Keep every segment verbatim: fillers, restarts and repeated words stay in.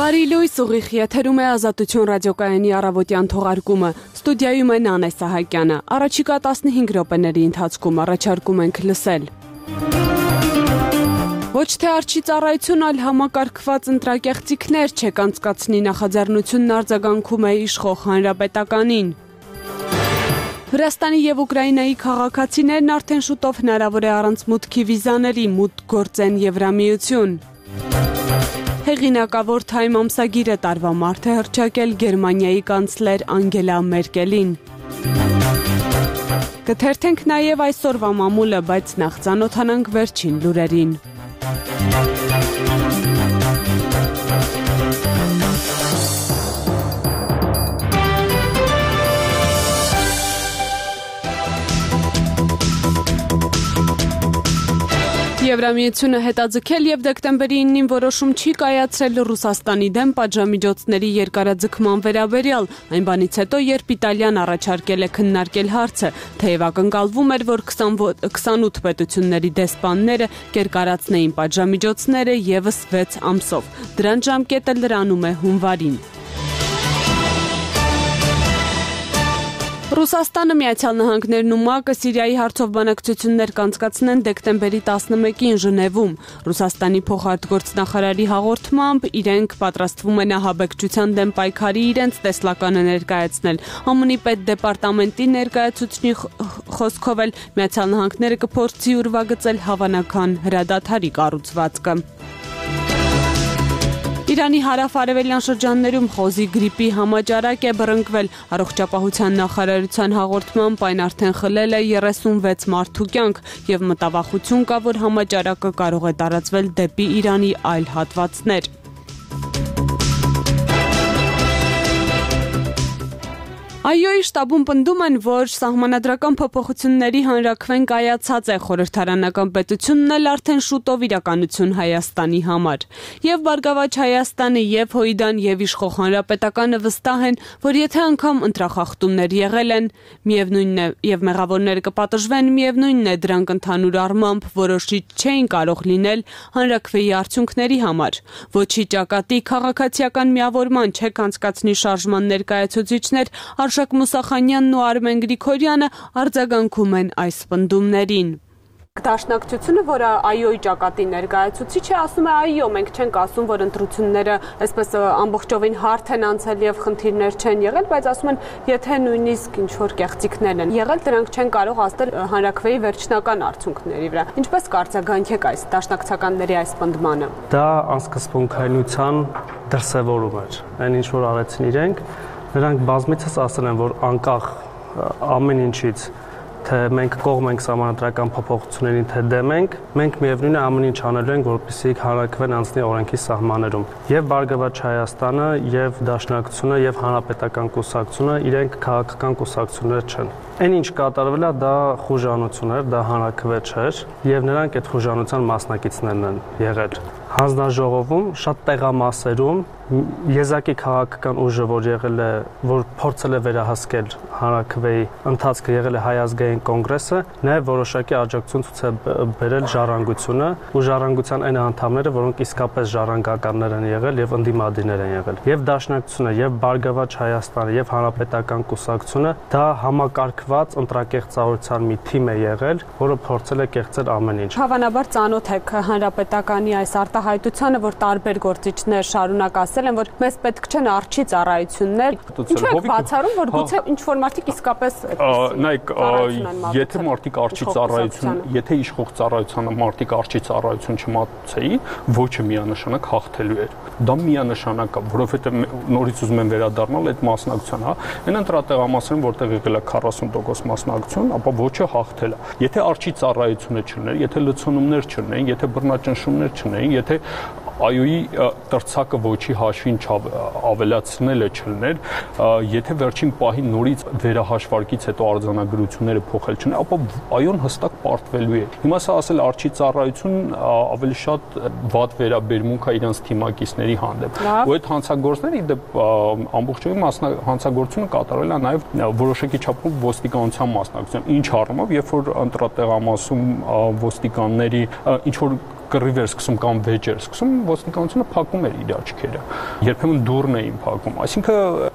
Բարի լույս, ուղիղ եթերում է Ազատություն ռադիոկայանի առավոտյան թողարկումը։ Ստուդիայում է Նանե Սահակյանը։ Առաջիկա տասնհինգ րոպեների ընթացքում առաջարկում ենք լսել. Ոչ թե արջի ծառայություն, այլ համակարգված ընտրակեղծիքներ չեք անցկացնի նախաձեռնությունն արձագանքում է իշխող հանրապետականին։ Վրաստանի և Ուկրաինայի քաղաքացիներն արդեն շուտով հնարավոր է առանց մուտքի վիզաների մուտք գործեն Եվրամիություն։ Հեղինակավոր Time ամսագիրը տարվա մարդ է հռչակել Գերմանիայի կանցլեր Անգելա Մերկելին։ Կթերթենք նաև այսօրվա մամուլը, բայց նախ ծանոթանանք վերջին լուրերին։ Եվրամիությունը հետաձգել և դեկտեմբերի իննին որոշում չի կայացրել Ռուսաստանի դեմ պատժամիջոցների երկարաձգման վերաբերյալ, այն բանից հետո, երբ Իտալիան առաջարկել է քննարկել հարցը, թեև ակնկալվում էր, որ քսանութ պետությունների դեսպանները կերկարացնեին պատժամիջոցները ևս վեց ամսով։ Դրանց ժամկետը լրանում է հունվարին։ Ռուսաստանը, Միացյալ Նահանգներն ու ՄԱԿ-ը Սիրիայի հարցով բանակցություններ կանցկացնեն դեկտեմբերի տասնմեկին Ժնևում։ Ռուսաստանի փոխարտգործնախարարի հաղորդմամբ իրենք պատրաստվում են ահաբեկչության դեմ պայքարի իրենց տեսլականը ներկայացնել։ ԱՄՆ-ի պետդեպարտամենտի ներկայացուցչի խոսքով էլ Միացյալ Նահանգները կփորձի ուրվագծել հավանական հրադադարի կառուցվածքը։ Իրանի հարավ-արևելյան շրջաններում խոզի գրիպի համաճարակ է բռնկվել։ Առողջապահության նախարարության հաղորդմամբ այն արդեն խլել է երեսունվեց մարդու կյանք և մտավախություն կա, որ համաճարակը կարող է տարածվել դեպի Իրանի այլ հատվածներ։ ԱՅՈ-ի շտաբում պնդում են, որ սահմանադրական փոփոխությունների հանրաքվեն կայացած է, խորհրդարանական պետությունն էլ արդեն շուտով իրականություն Հայաստանի համար։ Եվ Բարգավաճ Հայաստանը, և Հույդան, և իշխող հանրապետականը վստահ են, որ եթե անգամ ընտրախախտումներ եղել են, միևնույնն է, և մեղավորները կպատժվեն, միևնույնն է, դրանք ընդհանուր առմամբ որոշիչ չէին կարող լինել հանրաքվեի արդյունքների համար։ Ոչի ճակատի քաղաքացիական միավորման չեք անցկացնի շարժման ներկայացուցիչներ Արշակ Մուսախանյանն ու Արմեն Գրիգորյանը արձագանքում են այս պնդումներին։ Դաշնակցությունը, որը ԱՅՈ-ի ճակատի ներկայացուցիչ է, ասում է ԱՅՈ, մենք չենք ասում, որ ընտրությունները այսպես ամբողջովին հարթ են անցել եւ խնդիրներ չեն եղել, բայց ասում են, եթե նույնիսկ ինչ-որ կեղծիքներ են եղել, դրանք չեն կարող ազդել հանրաքվեի վերջնական արդյունքների վրա։ Ինչպես կարձագանքեք այս դաշնակցականների այս պնդմանը։ Դա անսկսպունքայնության դրսևորում էր։ Այն ինչ որ արեցին իրենք, նրանք բազմիցս ասել են, որ անկախ ամեն ինչից, թե մենք կողմ ենք սահմանադրական փոփոխություններին, թե դեմ ենք, մենք միևնույն է ամեն ինչ անելու ենք, որպեսզի հանրաքվեն անցնի օրենքի սահմաններում։ Եվ Բարգավաճ Հայաստանը, եւ Դաշնակցությունը, եւ Հանրապետական կուսակցությունը իրենք քաղաքական կուսակցություններ չեն։ Այն ինչ կատարվել է, դա խուժանություն էր, դա հանրաքվե չէր, եւ նրանք այդ խուժանության մասնակիցներն են եղել։ Հանձնաժողովում շատ տեղամասերում եզակի քաղաքական ուժը, որ եղել է, որ փորձել է վերահսկել հանրաքվեի ընթացքը, եղել է Հայ ազգային կոնգրեսը, նաև որոշակի աջակցություն ցույց է բերել ժառանգությունը ու ժառանգության այն անդամները, որոնք իսկապես ժառանգականներ են եղել եւ ընդդիմադիրներ են եղել։ Եվ Դաշնակցությունը, եւ Բարգավաճ Հայաստանը, եւ Հանրապետական կուսակցությունը դա համակարգված ընտրակեղծարարության մի թիմ է եղել, որը փորձել է կեղծել ամեն ինչ։ Հավանաբար ծանոթ եք Հանրապետականի այս արտահայտությանը, որ տարբեր գործիչներ շարունակ ասել են, որ մեզ պետք չեն արջի ծառայություններ։ Ինչու եք բացառում, որ գուցե ինչ-որ մարդիկ իսկապես նայեք, եթե մարդիկ արջի ծառայություն, եթե իշխող ծառայությանը մարդիկ արջի ծառայություն չմատուցեին, ոչը միանշանակ հաղթելու էր։ Դա միանշանակ է, որովհետև նորից ուզում են վերադառնալ այդ մասնակցության, հա։ Այն ընտրատեղամասերում, որտեղ եղել է քառասուն տոկոս մասնակցություն, ապա ոչը հաղթել է։ Եթե արջի ծառայությունը չլիներ, եթե լցոնումներ չլինեին, եթե բռնաճնշումներ չլինեին, եթե ԱՅՈ-ի տրցակը ոչի հաշվին ավելացնելը չլներ, եթե վերջին պահին նորից վերահաշվարկից հետո արձանագրությունները փոխել չներ, ապա ԱՅՈ-ն հստակ պարտվելու է։ Հիմա սա ասել արջի ծառայություն ավելի շատ վատ վերաբերմունք է իրենց թիմակիցների հանդեպ։ Ու այդ հանցագործները իդեպ ամբողջովին հանցագործությունը կատարել է նաև որոշակի չափով ոստիկանության մասնակցությամբ։ Ինչ առումով, երբ որ ընտրատեղամասում ոստիկանների ինչ որ կռիվ էր սկսում կամ վեճ էր սկսում, ոստիկանությունը փակում էր իր աչքերը։ Երբեմն դուռն էին փակում։ Այսինքն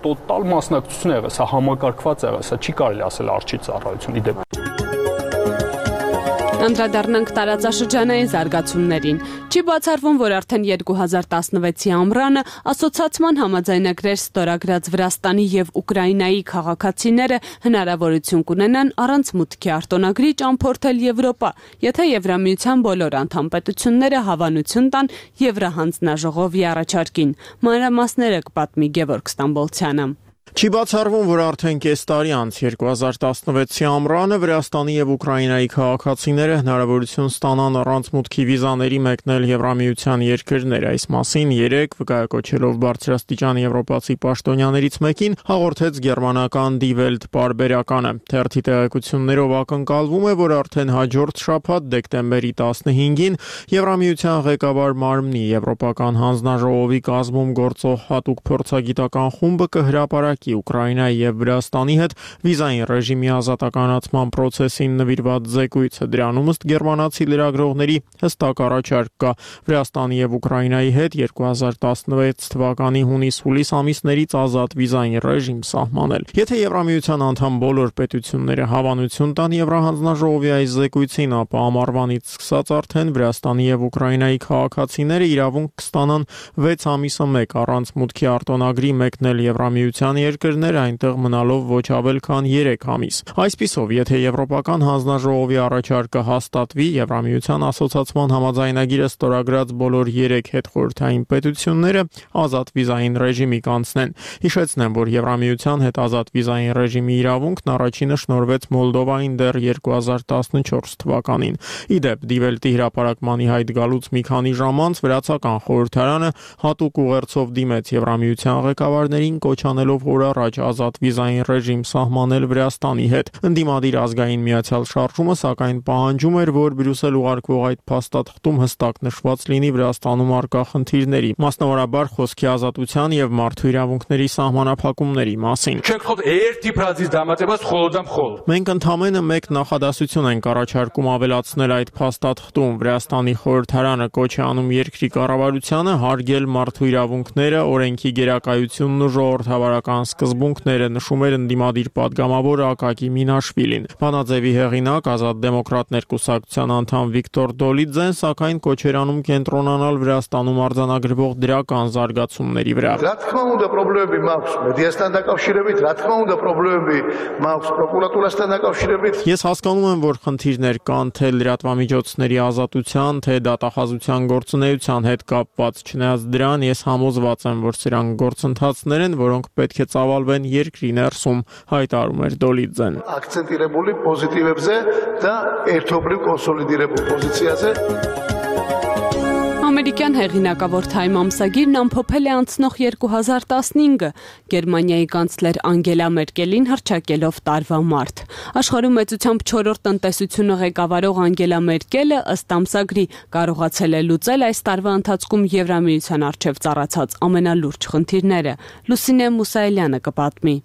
տոտալ մասնակցություն եղավ, սա համակարգված եղավ, սա չի կարելի ասել արջի ծառայություն ի դեպ։ Անդրադառնանք տարածաշրջանային զարգացումներին։ Չի բացառվում, որ արդեն երկու հազար տասնվեցի ամռանը ասոցիացման համաձայնագրեր ստորագրած Վրաստանի եւ Ուկրաինայի քաղաքացիները հնարավորություն կունենան առանց մուտքի արտոնագրի ճամփորդել Եվրոպա, եթե Եվրամիության բոլոր անդամ պետությունները հավանություն տան Եվրահանձնաժողովի առաջարկին։ Մանրամասները կպատմի Գևորգ Ստամբոլցյանը։ Չի բացառվում, որ արդեն կես տարի անց երկու հազար տասնվեցի ամռանը Վրաստանի եւ Ուկրաինայի քաղաքացիները հնարավորություն ստանան առանց մուտքի վիզաների մեկնել Եվրամիության երկրներ։ Այս մասին երեկ վկայակոչելով բարձրաստիճան եվրոպացի պաշտոնյաներից մեկին հաղորդեց գերմանական Die Welt պարբերականը։ Թերթի տեղեկություններով ակնկալվում է, որ արդեն հաջորդ շաբաթ դեկտեմբերի տասնհինգին Եվրամիության ղեկավար մարմնի Եվրոպական հանձնաժողովի կազմում գործող հատուկ փորձագիտական խումբը կհրապարակի Ուկրաինայի եւ Վրաստանի հետ վիզային ռեժիմի ազատականացման process-ին նվիրված զեկույցը։ Դրանում ըստ գերմանացի լրագրողների հստակ առաջարկ կա Վրաստանի եւ Ուկրաինայի հետ երկու հազար տասնվեց թվականի հունիս-հուլիս ամիսներից ազատ վիզային ռեժիմ սահմանել։ Եթե Եվրամիության անդամ բոլոր պետությունները հավանություն տան Եվրահանձնաժողովի այս զեկույցին, ապա ամառվանից սկսած արդեն Վրաստանի եւ Ուկրաինայի քաղաքացիները իրավունք կստանան վեց ամիսը մեկ առանց մուտքի արտոնագրի մեկնել Եվրամիության երկրներ, այնտեղ մնալով ոչ ավել քան երեք ամիս։ Այսպիսով, եթե Եվրոպական հանձնաժողովի առաջարկը հաստատվի, Եվրամիության ասոցիացման համաձայնագիրը ստորագրած բոլոր երեք հետխորհրդային պետությունները ազատ վիզային ռեժիմի կանցնեն։ Հիշեցնեմ, որ Եվրամիության հետ ազատ վիզային ռեժիմի իրավունքն առաջինը շնորհվեց Մոլդովային դեռ երկու հազար տասնչորս թվականին։ Ի դեպ, Die Welt-ի հրապարակմանի հայտ գալուց մի քանի ժամ անց Վրացական խորհրդարանը հատուկ ուղերձով դիմեց Եվրամիության ղեկավարներին կոչ անելով օր առաջ ազատ վիզային ռեժիմ սահմանել Վրաստանի հետ։ Ընդդիմադիր ազգային միացյալ շարժումը սակայն պահանջում էր, որ Բրյուսել ուղարկվող այդ փաստաթղթում հստակ նշված լինի Վրաստանում առկա խնդիրների, մասնավորաբար խոսքի ազատության եւ մարդու իրավունքների սահմանափակումների մասին։ Մենք ընդամենը մեկ նախադասություն ենք առաջարկում ավելացնել այդ փաստաթղթում։ Վրաստանի խորհրդարանը կոչ է անում երկրի կառավարությանը հարգել մարդու իրավունքները, օրենքի գերակայությունն ու ժողովրդավարական սկզբունքները, նշում էր ընդդիմադիր պատգամավոր Ակակի Մինաշվիլին։ Բանաձևի հեղինակ ազատ դեմոկրատներ կուսակցության անդամ Վիկտոր Դոլիձեն սակայն կոչ էր անում կենտրոնանալ Վրաստանում արձանագրվող դրական զարգացումների վրա։ Რა թվում უნდა պրոբլեմები մաքս մեդիաստան դակავშირებით, რა թվում უნდა պրոբլեմები մաքս պրոկուրատուրաստան դակავშირებით։ Ես հասկանում եմ, որ խնդիրներ կան թե լրատվամիջոցների ազատության, թե դատախազության գործունեության հետ կապված, չնայած դրան ես համոզված եմ, որ սրանք գործընթացներ են, որոնք պետք է ծավալվեն երկրի ներսում, հայտարարում էր Դոլիձեն։ Ակցենտირებული պոզիտիվებზე դա երթոբլիկ կոնսոլիդირებულ պոզիցիაზე։ Ամերիկյան հեղինակավոր Time ամսագիրն ամփոփել է անցնող երկու հազար տասնհինգը Գերմանիայի կանցլեր Անգելա Մերկելին հռչակելով տարվա մարտ։ Աշխարհում մեծությամբ չորրորդ տնտեսությունը ղեկավարող Անգելա Մերկելը ըստ ամսագրի կարողացել է լուծել այս տարվա ընթացքում Եվրամիության առջև ծառացած ամենալուրջ խնդիրները։ Լուսինե Մուսայելյանը կպատմի։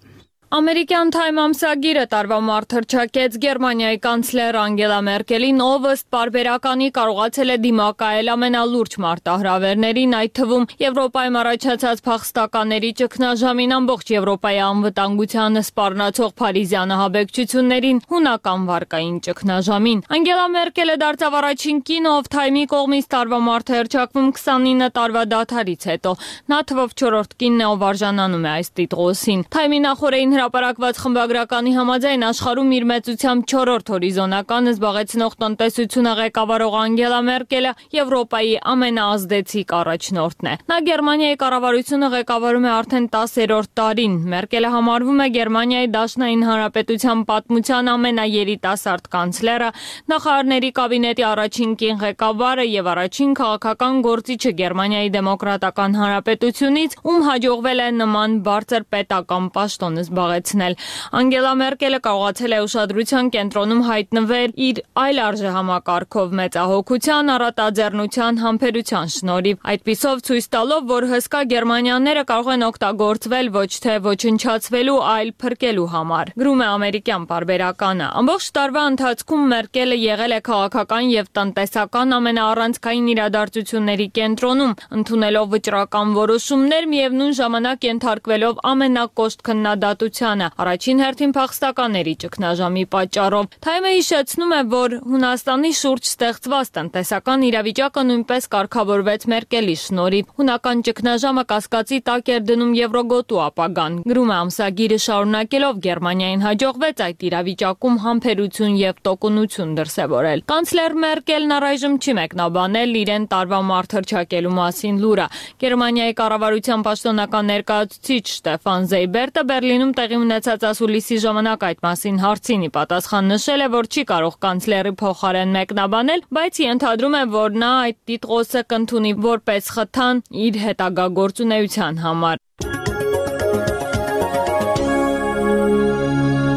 Ամերիկյան Time ամսագիրը տարվա մարտ հռչակեց Գերմանիայի կանցլեր Անգելա Մերկելին, ով ըստ պարբերականի կարողացել է դիմակայել ամենալուրջ մարտահրավերներին, այդ թվում Եվրոպայում առաջացած փախստականների ճգնաժամին, ամբողջ Եվրոպայի անվտանգությանը սպառնացող Փարիզյան ահաբեկչություններին, հունական վարկային ճգնաժամին։ Անգելա Մերկելը դարձավ առաջին կինը, ով Time-ի կողմից տարվա մարտ հռչակվում քսանինը տարվա դադարից հետո։ Նա թվով չորրորդ կինն է, ով արժանանում է այս տիտղոսին։ Time-ի նախորդին հրապարակված խմբագրականի համաձայն աշխարհում իր մեծությամբ չորրորդ հորիզոնականը զբաղեցնող տնտեսությունը ղեկավարող Անգելա Մերկելը Եվրոպայի ամենաազդեցիկ առաջնորդն է։ Նա Գերմանիայի կառավարությունը ղեկավարում է արդեն տասերորդ տարին։ Մերկելը համարվում է Գերմանիայի Դաշնային Հանրապետության պատմության ամենաերիտասարդ կանցլերը, նախարարների կաբինետի առաջին կին ղեկավարը եւ առաջին քաղաքական գործիչը Գերմանիայի Դեմոկրատական Հանրապետությունից, ում հաջողվել է նման բարձր պետական պաշտոն զբաղեցնել։ զբաղեցնել։ Անգելա Մերկելը կարողացել է ուշադրության կենտրոնում հայտնվել իր այլ արժեհամակարգով մեծահոգության, առատաձեռնության, համբերության շնորհիվ, այդպիսով ցույց տալով, որ հսկա գերմանյանները կարող են օգտագործվել ոչ թե ոչնչացվելու, այլ փրկելու համար։ Գրում է ամերիկյան պարբերականը։ Ամբողջ տարվա ընթացքում Մերկելը եղել է քաղաքական եւ տնտեսական ամենաառանցքային իրադարձությունների կենտրոնում, ընդունելով վճռական որոշումներ, միևնույն ժամանակ ենթարկվելով ամենակոշտ քննադատությանը, առաջին հերթին փախստականների ճգնաժամի պատճառով։ Թայմը հիշեցնում է, որ Հունաստանի շուրջ ստեղծված տնտեսական իրավիճակը նույնպես կարգավորվեց Մերկելի շնորհիվ։ Հունական ճգնաժամը կասկածի տակ էր դնում Եվրոգոտու ապագան։ Գրում է ամսագիրը շարունակելով, Գերմանիային հաջողվեց այդ իրավիճակում համբերություն եւ տոկունություն դրսեւորել։ Կանցլեր Մերկելն առայժմ չի մեկնաբանել իրեն տարվա մարտ հռչակելու մասին լուրը։ Գերմանիայի կառավարության պաշտոնական ներկայացուցիչ Շտեֆան Զեյբերտը Բերլինում տեղի ունեցած ասուլիսի ժամանակ այդ մասին հարցին ի պատասխան նշել է, որ չի կարող կանցլերի փոխարեն մեկնաբանել, բայց ենթադրում է, որ նա այդ տիտղոսը կընդունի որպես խթան իր հետագա գործունեության համար։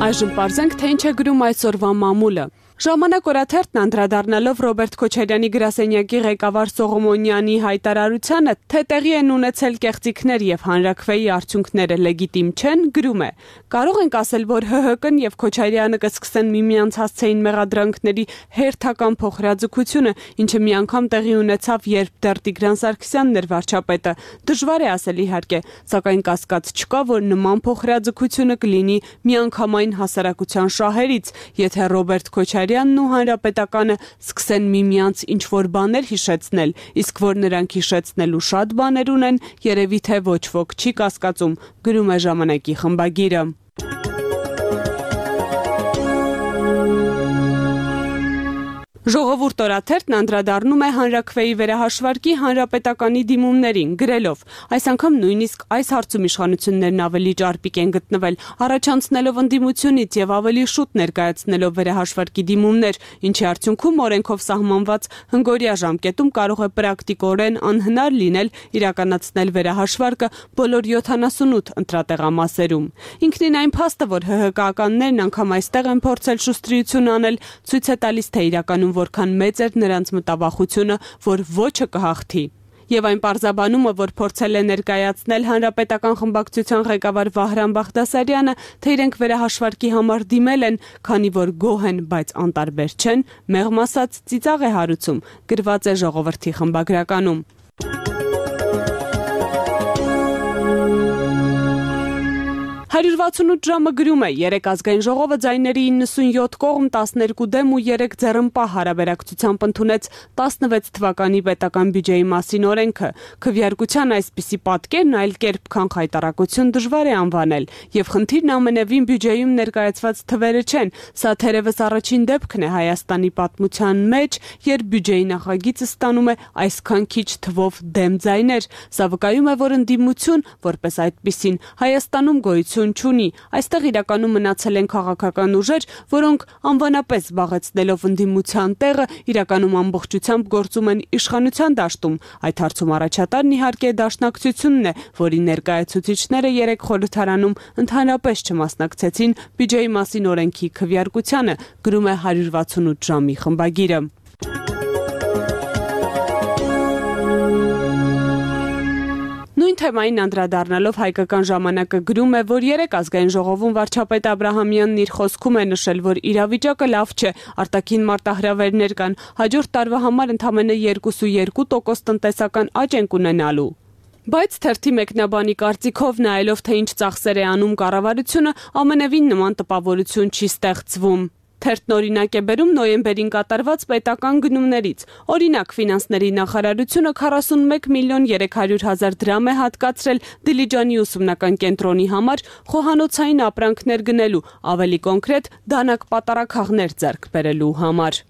Այժմ պարզենք, թե ինչ է գրում այսօրվա մամուլը։ Ժամանակ օրաթերթն անդրադառնալով Ռոբերտ Քոչարյանի գրասենյակի ղեկավար Սողոմոնյանի հայտարարությանը, թե տեղի են ունեցել կեղծիքներ եւ հանրաքվեի արդյունքները լեգիտիմ չեն, գրում է. կարող ենք ասել, որ ՀՀԿ-ն եւ Քոչարյանը կսկսեն միմյանց հասցեին մեղադրանքների հերթական փոխհրաձգությունը, ինչը մի անգամ տեղի ունեցավ, երբ դեռ Տիգրան Սարգսյանն էր վարչապետը։ Դժվար է ասել իհարկե, սակայն կասկած չկա, որ նման փոխհրաձգությունը կլինի միանգամայն հասարակության շահերից, եթե Ռոբերտ Քոչարյանն ու Հանրապետականը սկսեն միմյանց ինչ-որ բաներ հիշեցնել, իսկ որ նրանք հիշեցնելու շատ բաներ ունեն, երևի թե ոչ ոք չի կասկածում, գրում է ժամանակի խմբագիրը։ Ժողովուրդ օրաթերթն անդրադառնում է հանրաքվեի վերահաշվարկի հանրապետականի դիմումներին, գրելով. այս անգամ նույնիսկ այս հարցում իշխանություններն ավելի ճարպիկ են գտնվել, առաջանցնելով ընդդիմությունից եւ ավելի շուտ ներկայացնելով վերահաշվարկի դիմումներ, ինչի արդյունքում օրենքով սահմանված հնգօրյա ժամկետում կարող է պրակտիկորեն անհնար լինել իրականացնել վերահաշվարկը բոլոր յոթանասունութ ընտրատեղամասերում։ Ինքնին այն փաստը, որ ՀՀԿ-ականներն անգամ այստեղ են փորձել շուստրիություն անել, ցույց է տալիս, թե իրականում որքան մեծ էր նրանց մտավախությունը, որ ոչը կհաղթի։ Եվ այն պարզաբանումը, որ փորձել է ներկայացնել հանրապետական խմբակցության ղեկավար Վահրամ Բաղդասարյանը, թե իրենք վերահաշվարկի համար դիմել են, քանի որ գոհ են, բայց անտարբեր չեն, մեղմ ասած ծիծաղ է հարուցում, գրված է Ժողովրդի խմբագրականում։ հարյուր վաթսունութ ժամը գրում է, երեք ազգային ժողովը ձայների իննսունյոթ կողմ տասներկու դեմ ու երեք ձեռնպահ հարաբերակցությամբ ընդունեց տասնվեց թվականի պետական բյուջեի մասին օրենքը։ Քվեարկության այսպիսի պատկերն այլ կերպ, քան խայտառակություն դժվար է անվանել, եւ խնդիրն ամենևին բյուջեում ներկայացված թվերը չեն, սա թերևս առաջին դեպքն է Հայաստանի պատմության մեջ, երբ բյուջեի նախագիծը ստանում է այսքան քիչ թվով դեմ ձայներ։ Սա վկայում է, որ ընդդիմություն, որպես այդպիսին, Հայաստանում գոյություն չունի, այստեղ իրականում մնացել են քաղաքական ուժեր, որոնք անվանապես զբաղեցնելով ընդդիմության տեղը, իրականում ամբողջությամբ գործում են իշխանության դաշտում։ Այդ հարցում առաջատարն իհարկե դաշնակցությունն է, որի ներկայացուցիչները երեք խորհրդարանում ընդհանրապես չմասնակցեցին բյուջեի մասին օրենքի քվեարկությանը, գրում է հարյուր վաթսունութ ժամի խմբագիրը։ Նույն թեմային անդրադառնալով հայկական ժամանակը գրում է, որ երեք ազգային ժողովում վարչապետ Աբրահամյանն իր խոսքում է նշել, որ իրավիճակը լավ չէ, արտաքին մարտահրավերներ կան, հաջորդ տարվա համար ընդամենը երկու տոկոս տնտեսական աճ ենք ունենալու։ Բայց թերթի մեկնաբանի կարծիքով, նայելով թե ինչ ծախսեր է անում կառավարությունը, ամենևին նման տպավորություն չի ստեղծվում։ Թերթն օրինակ է բերում նոյեմբերին կատարված պետական գնումներից։ Օրինակ, ֆինանսների նախարարությունը քառասունմեկ միլիոն երեք հարյուր հազար դրամ է հատկացրել Դիլիջանի ուսումնական կենտրոնի համար խոհանոցային ապրանքներ գնելու, ավելի կոնկրետ դանակ պատարագաղներ ձեռք բերելու համար։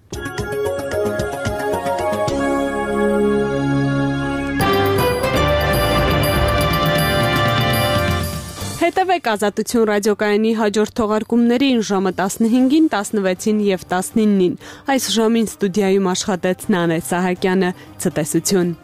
Հետևեք Ազատություն ռադիոկայանի հաջորդ թողարկումներին ժամը տասնհինգին, տասնվեցին եւ տասնինին։ Այս ժամին ստուդիայում աշխատեց Նանե Սահակյանը, ցտեսություն։